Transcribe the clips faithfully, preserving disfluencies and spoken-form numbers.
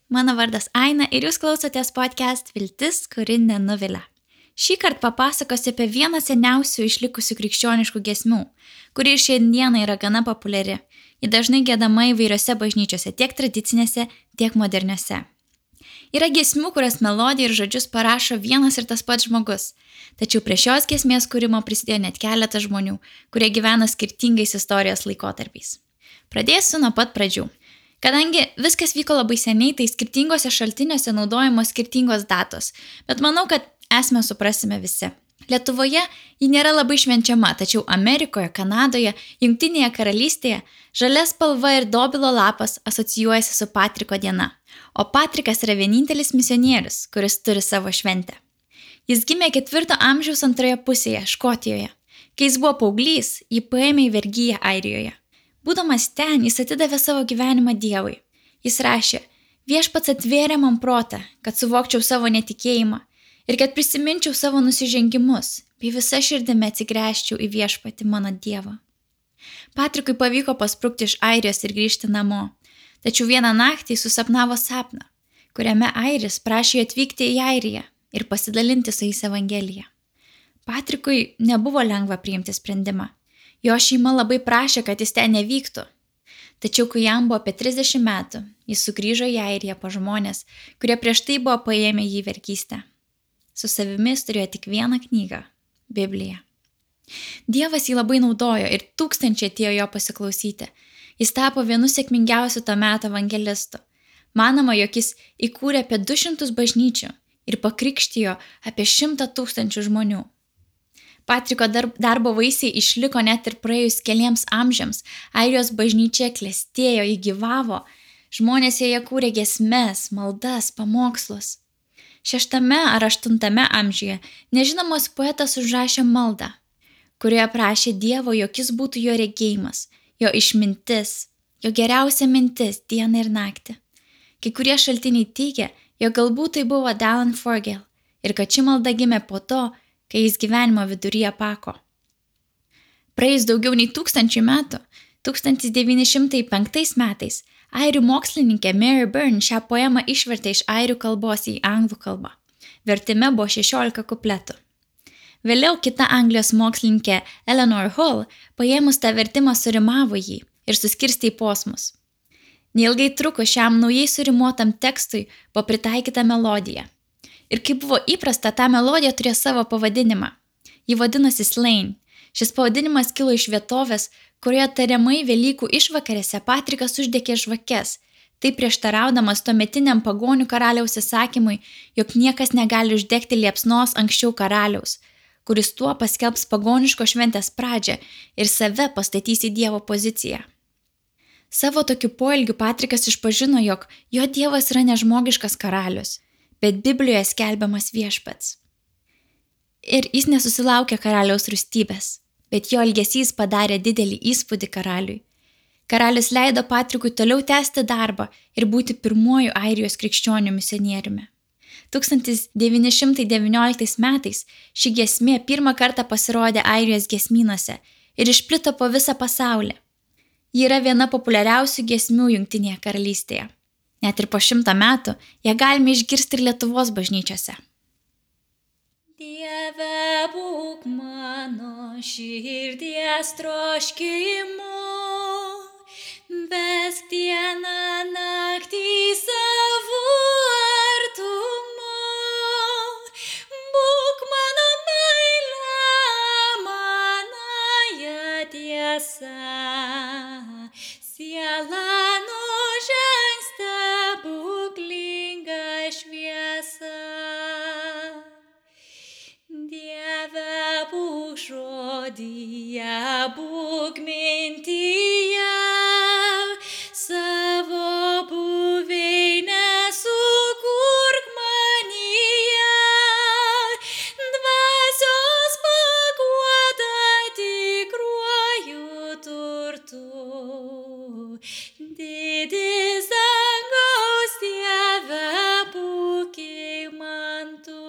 mano vardas Aina ir jūs klausotės podcast Viltis, kuri nenuvilia. Šį kartą papasakosiu apie vieną seniausių išlikusių krikščioniškų giesmių, kuri ir šiandieną yra gana populiari. Ji dažnai giedama įvairiose bažnyčiose, tiek tradicinėse, tiek moderniose. Yra giesmių, kurias melodiją ir žodžius parašo vienas ir tas pats žmogus, tačiau prie šios giesmės kūrimo prisidėjo net keletas žmonių, kurie gyvena skirtingais istorijos laikotarpiais. Pradėsiu nuo pat pradžių. Kadangi viskas vyko labai seniai, tai skirtingose šaltiniuose naudojamos skirtingos datos, bet manau, kad esmę suprasime visi. Lietuvoje ji nėra labai švenčiama, tačiau Amerikoje, Kanadoje, Jungtinėje karalystėje žalia spalva ir dobilo lapas asocijuojasi su Patriko diena, o Patrikas yra vienintelis misionierius, kuris turi savo šventę. Jis gimė ketvirto amžiaus antroje pusėje, Škotijoje. Kai jis buvo paauglys, jį paėmė į vergiją Airijoje. Būdamas ten, jis atidavė savo gyvenimą Dievui. Jis rašė, viešpats atvėrė man protą, kad suvokčiau savo netikėjimą ir kad prisiminčiau savo nusižengimus, bei visa širdimi atsigręžčiau į viešpatį mano Dievą. Patrikui pavyko pasprukti iš Airijos ir grįžti namo, tačiau vieną naktį susapnavo sapną, kuriame Airis prašė atvykti į Airiją ir pasidalinti su jais Evangelija. Patrikui nebuvo lengva priimti sprendimą. Jo šeima labai prašė, kad jis ten nevyktų. Tačiau, kai jam buvo apie trisdešimt metų, jis sugrįžo į Airiją po žmonės, kurie prieš tai buvo paėmę jį vergystę. Su savimi jis turėjo tik vieną knygą – Bibliją. Dievas jį labai naudojo ir tūkstančiai atėjo jo pasiklausyti. Jis tapo vienu sėkmingiausių to meto evangelistų. Manoma, jog jis įkūrė apie du šimtus bažnyčių ir pakrikštijo apie šimtą tūkstančių žmonių. Patriko darbo vaisiai išliko net ir praėjus keliems amžiams. Airijos bažnyčia klestėjo, ji gyvavo. Žmonės joje kūrė giesmes, maldas, pamokslus. Šeštame ar aštuntame amžiuje nežinomas poetas užrašė maldą, kurioje prašė Dievo, jog jis būtų jo regėjimas, jo išmintis, jo geriausia mintis dieną ir naktį. Kai kurie šaltiniai teigia, jog galbūt tai buvo Dallan Forgel ir kad ši malda gimė po to, kai jis gyvenimo viduryje pako. Praėjus daugiau nei tūkstančių metų, tūkstantis devyni šimtai penktais metais, airių mokslininkė Mary Byrne šią poemą išvertė iš airių kalbos į anglų kalbą. Vertime buvo šešiolika kupletų. Vėliau kita Anglijos mokslininkė Eleanor Hall paėmus tą vertimą surimavo jį ir suskirstė į posmus. Neilgai truko šiam naujai surimuotam tekstui buvo pritaikyta melodija. Ir kaip buvo įprasta, ta melodija turėjo savo pavadinimą. Ji vadinosi Slane. Šis pavadinimas kilo iš vietovės, kurioje tariamai Velykų išvakarėse Patrikas uždegė žvakes, tai prieštaraudamas tuometiniam pagonių karaliaus įsakymui, jog niekas negali uždegti liepsnos anksčiau karaliaus, kuris tuo paskelbs pagoniško šventės pradžią ir save pastatys į Dievo poziciją. Savo tokiu poelgiu Patrikas išpažino, jog jo Dievas yra nežmogiškas karalius, bet Biblijoje skelbiamas viešpats. Ir jis nesusilaukė karaliaus rūstybės, bet jo elgesys padarė didelį įspūdį karaliui. Karalius leido Patrikui toliau tęsti darbą ir būti pirmuoju Airijos krikščionių misionieriumi. tūkstantis devyni šimtai devynioliktais metais ši giesmė pirmą kartą pasirodė Airijos giesmynuose ir išplito po visą pasaulį. Ji yra viena populiariausių giesmių Jungtinėje karalystėje. Net ir po šimtą metų ją galime išgirsti ir Lietuvos bažnyčiose. Dieve, būk mano širdies troškimu, vesk dieną naktį savo artumu. Būk mano meile, manąja tiesa, siela nužengs stebuklingą šviesą. Dieve, būk žodyje, būk mintyje, savo buveinę sukurk manyje, dvasios paguoda tikruoju turtu. Didis dangaus Dieve, būk man tu.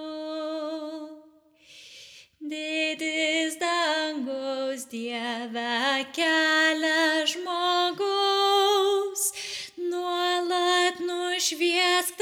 Didis dangaus Dieve, kelia žmogaus, nuolat nušviesk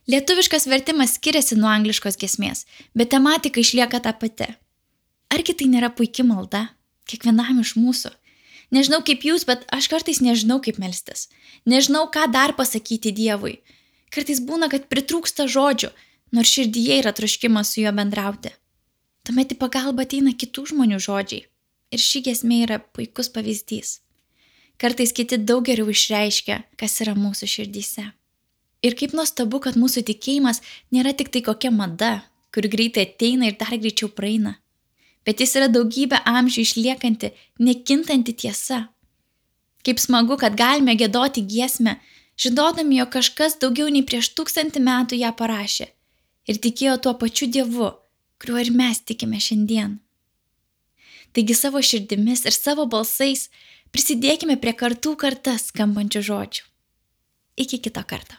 Lietuviškas vertimas skiriasi nuo angliškos giesmės, bet tematika išlieka ta pati. Argi tai nėra puiki malda? Kiekvienam iš mūsų. Nežinau kaip jūs, bet aš kartais nežinau kaip melstis. Nežinau, ką dar pasakyti Dievui. Kartais būna, kad pritrūksta žodžių, nors širdyje yra troškimas su juo bendrauti. Tuomet į pagalbą ateina kitų žmonių žodžiai. Ir ši giesmė yra puikus pavyzdys. Kartais kiti daug geriau išreiškia, kas yra mūsų širdyse. Ir kaip nuostabu, kad mūsų tikėjimas nėra tik tai kokia mada, kur greitai ateina ir dar greičiau praeina. Bet jis yra daugybę amžių išliekanti, nekintanti tiesa. Kaip smagu, kad galime giedoti giesmę, žinodami, jog kažkas daugiau nei prieš tūkstantį metų ją parašė ir tikėjo tuo pačiu Dievu, kuriuo ir mes tikime šiandien. Taigi savo širdimis ir savo balsais prisidėkime prie kartų kartas skambančių žodžių. Iki kito karto.